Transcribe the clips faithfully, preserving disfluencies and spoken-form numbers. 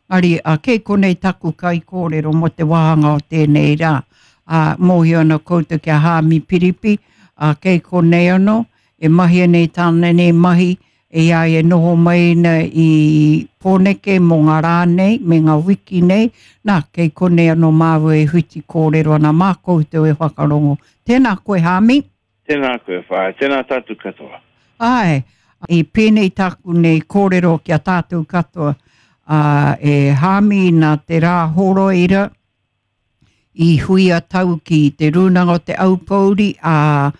Engari, ā, kei konei taku kaikōrero mō te wāhanga o tēnei rā. Ā, mōhio ana koutou ki a Hāmi Piripi, ā, kei konei anō, e mahia nei tāna nei mahi, i a ia e noho mai ana i Pōneke mō ngā rā nei, me ngā wiki nei, nā, kei konei anō māua e whiti kōrero ana mā koutou e whakarongo. Tēnā koe, Hāmi. Tēnā koe, whaea. Tēnā tātou katoa. Āe, i pēnei tāku nei kōrero ki a tātou katoa, ā, e Hāmi nā te rā horoira i hui a tau ki te Rūnanga o Te Aupōuri, ā,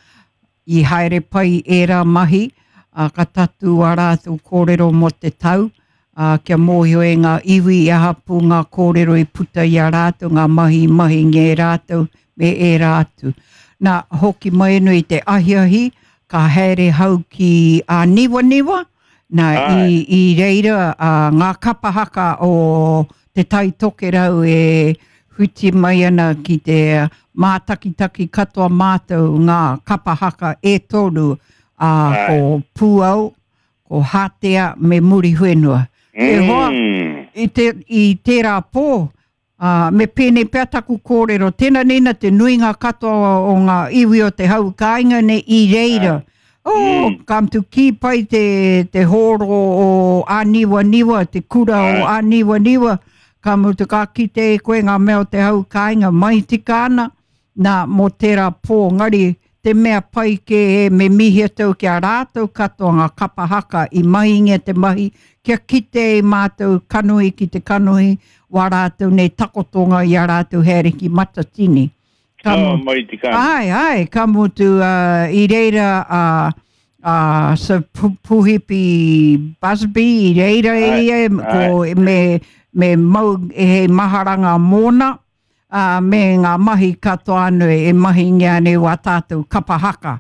i haere pai ērā mahi, ā, ka tatū ā rātou kōrero mō te tau, ā, kia mōhio e ngā iwi i aha pū ngā kōrero i puta i a rātou, ngā mahi i mahingia e rātou, me ērā atu. Nā, hoki mai anō i te ahiahi, ka haere hau ki Āniwaniwa, nā, i, i reira ā, ngā kapa haka o Te Tai Tokerau e whiti mai ana ki te mātakitaki katoa mātou ngā kapa haka e toru, ā, ko Pūau, ko Hātea me Muriwhenua. E hoa, i, te, i tērā pō, Ā, me pēnei pea taku kōrero, tēnā nēnā te nuinga katoa o ngā iwi o te hau kāinga nei i reira. Oh, mm. ka mutu kī pai te, te hōro o Āniwaniwa, te kura o Āniwaniwa, ka mutu ka kite e koe ngā mea o te hau kāinga mai tika ana, nā, mō tērā pō, ngari, te mea pai kē e, me mihi atu ki a rātou katoa ngā kapa haka i mahingia te mahi, kia kite i mātou kanohi ki te kanohi, wā rātou nei takotonga i a rātou haere ki Matatini. Ka, oh, mai te kānga. Ai, ai, ka mutu uh, i reira a uh, uh, Sir Puhipi Busby, i reira ai, ia, ko, me, me mau e hei maharanga mōna, ā, me ngā mahi katoa anō e mahingia nei wā tātou kapa haka.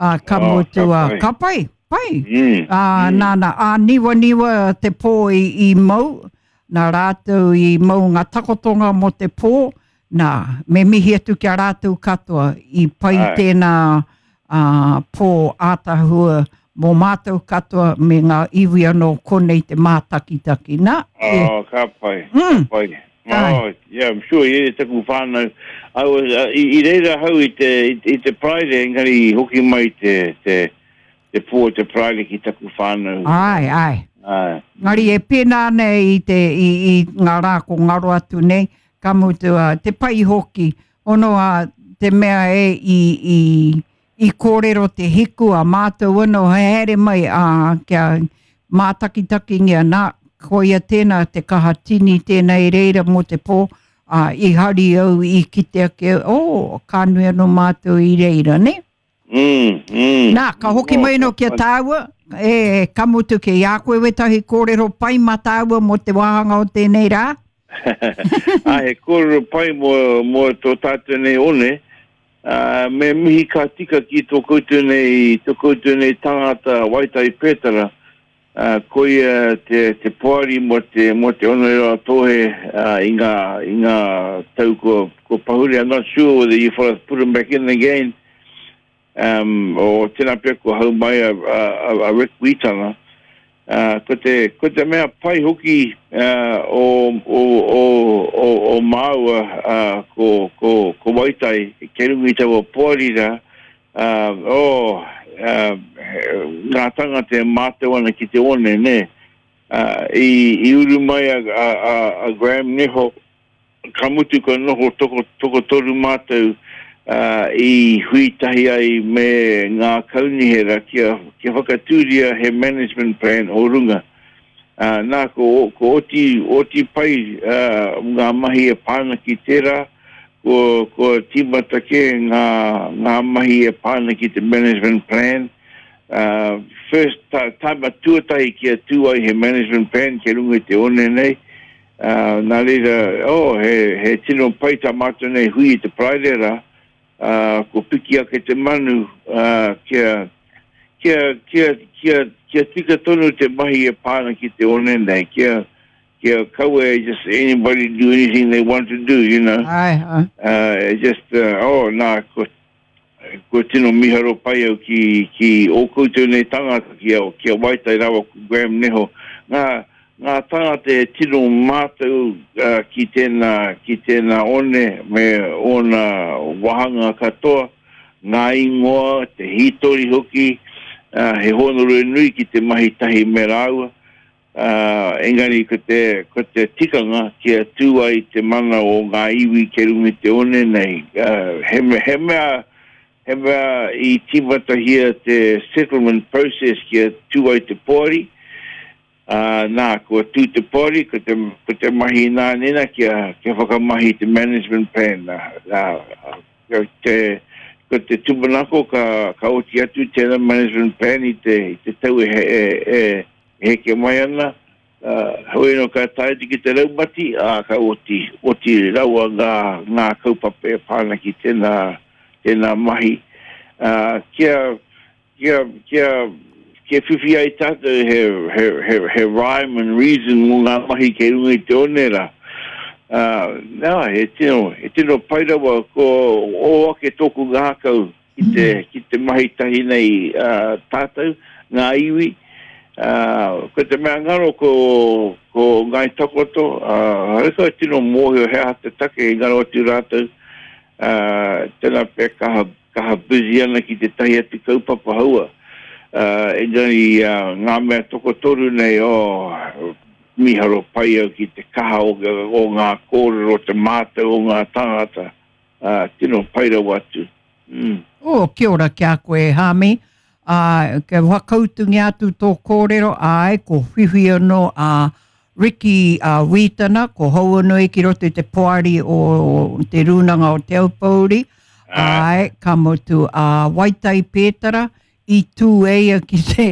Ā, ka oh, mutu, ka pai, ka pai. pai. Mm, ā, mm. Nā, nā, āniwaniwa te pō i, i mau, nā rātou i mau ngā takotonga mō te pō, nā, me mihi atu ki a rātou katoa i pai Ai. tēnā ā, pō ātahua mō mātou katoa me ngā iwi anō konei te mātakitaki. Nā, e. Oh, ka pai, mm. ka pai. Oh, yeah, I'm sure i taku whānau. I was, uh, i, i reira hau i te, i, i te Paraire, engari i hoki mai te, te, te pō te Paraire ki taku whānau. Ai, ai. Ai. Ngari e pēnā ana i, te, i, i ngā rā ko ngaro atu nei, ka mutu uh, te pai hoki, ono a te mea e i, i, i kōrero te hiku a mātou anō haere mai ā, kia mātakitakingia nā, koia tēnā te kaha tini tēnā i reira mō te pō, ā, i hari au i kite ake, oh, ka nui anō mātou i reira, nē? Mm, mm. Nā, ka hoki mai anō ki a tāua, e, ka mutu kei a koe wētahi kōrero pai mā tāua mō te wāhanga o tēnei rā? Ā, he kōrero pai mō, mō tō tātou nei one, ā, me mihi ka tika ki tō koutou nei, tō koutou nei tangata Waitai Pētara, ā, koia te, te poari mō te, mō te Oneroa-a-Tōhe, ā, i ngā, i ngā tau kua, kua pahure. I'm not sure whether you fellas put him back in again. Um, o tēnā pea kua hau mai a, a, a, a Rick Wītana. Uh, ko, te, ko te mea pai hoki uh, o, o, o, o, o māua uh, ko, ko, ko Waitai, kei runga i taua poari rā, uh, oh, uh, ngā tangata e mātau ana ki te one, nē. Uh, i, i uru mai a, a, a, a Graham Neho, ka mutu ka noho toko, tokotoru mātou uh, i hui tahi ai me ngā kaunihera kia, kia whakatūria he management plan o runga. Uh, nā, ko, ko oti, oti pai uh, ngā mahi e pā ana ki tērā, ko, ko tīmata kē ngā, ngā mahi e pā ana ki te management plan. Uh, first, ta, tāma tuatahi kia tū ai he management plan ki runga i te one nei. Uh, nā reira, oh, he, he tino pai tā mātou nei hui i te Paraire rā, uh, ko piki ake te manu, uh, kia, kia, kia, kia, kia tika tonu te mahi e pā ana ki te one nei, kia, kia kaua just anybody do anything they want to do, you know. Ai, ai. Uh, just, uh, oh, nā, ko, ko tino miharo pai au ki, ki ō koutou nei tangata, ki a, ki a Waitai rawa ko Graham Neho. Ngā, ngā tangata e tino mātau uh, ki tēnā, ki tēnā one me ōna wahanga katoa, ngā ingoa, te hītori hoki, uh, he hōnore nui ki te mahi tahi me rāua. Uh, engari ko te, ko te tikanga kia tū ai te mana o ngā iwi ke runga i te one nei. Uh, he, he mea, he mea i tīmatahia te settlement process kia tū ai te poari. Uh, nā, kua tū te poari, ko te, ko te mahi nā nena kia, kia whakamahi te management plan. Nā, nā, ko te, ko te tūmanako ka, ka oti atu tēnā management plan i te, i te tau e, e, e, heke mai ana. Uh, hoi no ka tae ki te raumati, ā, ka oti, oti rawa ngā, ngā kaupapa e pāna ki tēnā, tēnā mahi. Uh, kia, kia, kia, kia whiwhi ai tātou he, he, he, he rhyme and reason mō ngā mahi kei runga i te one rā. Uh, nā, he tino, he tino pai rawa ko o ake tōku ngākau ki te, ki te mahi tahi nei uh, tātou, ngā iwi. Uh, ko te mea ngaro ko, ko Ngai Takoto, uh, hareka tino mōhio he aha te take i ngaro atu rātou, uh, tēnā pea kaha, kaha busy ana ki te tahi atu kaupapa haua. Uh, engari uh, ngā mea tokotoru nei, oh, miharo pai au ki te kaha o, o ngā kōrero, te mātau o ngā tangata, uh, tino pai rawa atu. Mm. Oh, kia ora kia koe, Hami. Uh, kia whakautungia atu tō kōrero, ai, ko whiwhi anō a Ricky uh, Wītana, ko Hauanui ki roto i te poari o te Rūnanga o Te Aupōuri, ai, ka mutu a uh, Waitai Pētara, i tū eia ki te,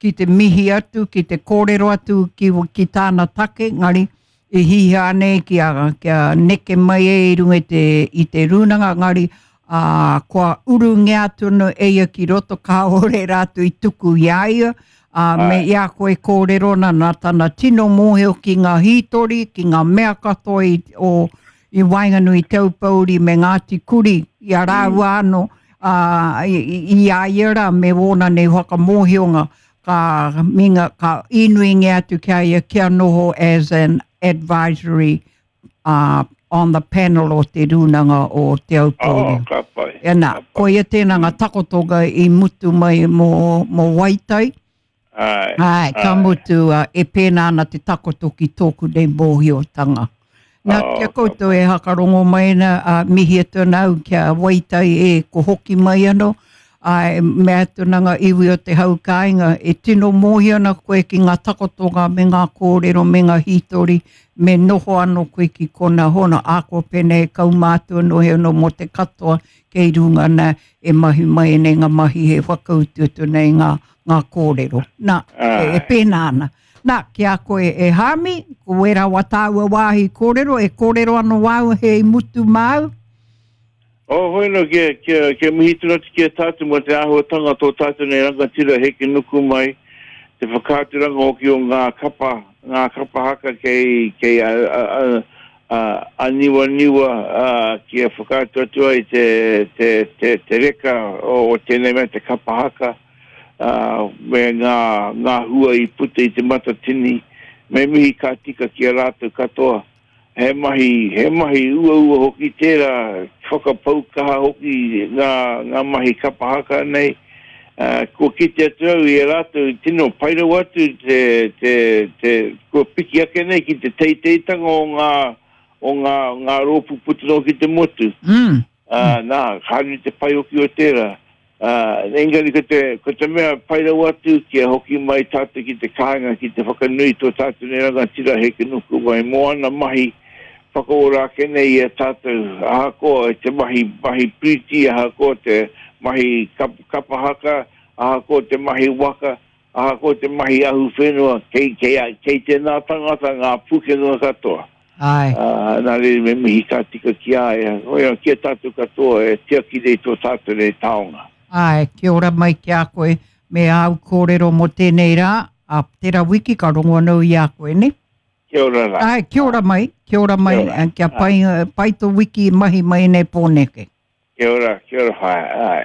ki te mihi atu, ki te kōrero atu ki, ki tāna take, ngari, i hiha nei kia, kia neke mai e i runga i te, i te rūnanga, ngari, uh, kua urungia atu no eia ki roto kāore rātou i tuku i a ia, uh, me i a koe kōrero nā, nā tana tino mōhio ki ngā hītori, ki ngā mea katoa i, o, i waenganui Te Aupōuri me Ngāti Kuri, i a rāua anō, uh, i, i a ia rā me wōna nei whakamōhionga, ka, minga, ka inuingia atu kia ia kia noho as an advisory uh, on the panel o te Rūnanga o Te Aupōuri. Oh, ka pai. E nā, ka pai. koia tēnā ngā takotonga i mutu mai mō, mō Waitai. Ai, Ai, ka ai. mutu uh, e pēnā ana te takoto ki tōku nei mōhiotanga. Nā, Oh, kia ka koutou e hakarongo mai na, uh, mihi atu ana au kia Waitai e ko hoki mai anō. Ai, mea atu nā ngā iwi o te hau kāinga, e tino mōhio ana koe ki ngā takotonga me ngā kōrero me ngā hītori, me noho anō koe ki kona hono, āko pēnei kaumātua nohe anō mō te katoa kei runga nā e mahi mai nei ngā mahi he whakautu atu nei ngā, ngā kōrero. Nā, e, e Ai. pēnā ana. Nā, ki a koe e Hami, ko wera wa tāua wāhi kōrero, e kōrero anō wāu he i mutu māu. Oh, hoi no, kia, kia, kia mihi tonu atu ki a tātou mō te āhuatanga tō tātou nei rangatira heke nuku mai, te whakaaturanga hoki o ngā kapa, ngā kapa haka kei, kei a, a, a, a, a niwa niwa, a, kia whakaatu atu ai te, te, te, te reka o, o tēnei mea te kapa haka, a, me ngā, ngā hua i puta i te matatini, me mihi ka tika ki a rātou katoa. He mahi, he mahi uaua hoki tērā, whakapau kaha hoki ngā, ngā mahi kapa haka nei. Uh, kua kite atu au i a rātou, tino pai rawa atu te, te, te, kua piki ake nei ki te teiteitanga o ngā, o ngā, ngā rōpū puta noa ki te motu. Mm. Uh, nā, ka nui te pai hoki o tērā. Uh, engari ko te, ko te mea pai rawa atu kia hoki mai tātou ki te kāinga, ki te whakanui tō tātou nei rangatira heke nuku mai mō ana mahi whakaora ake nei i a tātou, ahakoa te mahi, mahi piriti, ahakoa te mahi kap, kapa haka, ahakoa te mahi waka, ahakoa te mahi ahu whenua, kei, kei, kei tēnā tangata ngā pūkenga katoa. Ai. Uh, nā reira me mihi ka tika ki a ia, oia, ki a tātou katoa e tiaki nei tō tātou nei taonga. Ai, kia ora mai ki a koe, me āu kōrero mō tēnei rā, a tērā wiki ka rongo anō i a koe, ne? Kia ora rā. Ai, kia ora mai, kia ora mai, Kia ora. eh, kia pai, pai tō wiki mahi mai nei pōneke. Kia ora, kia ora whaea, ai.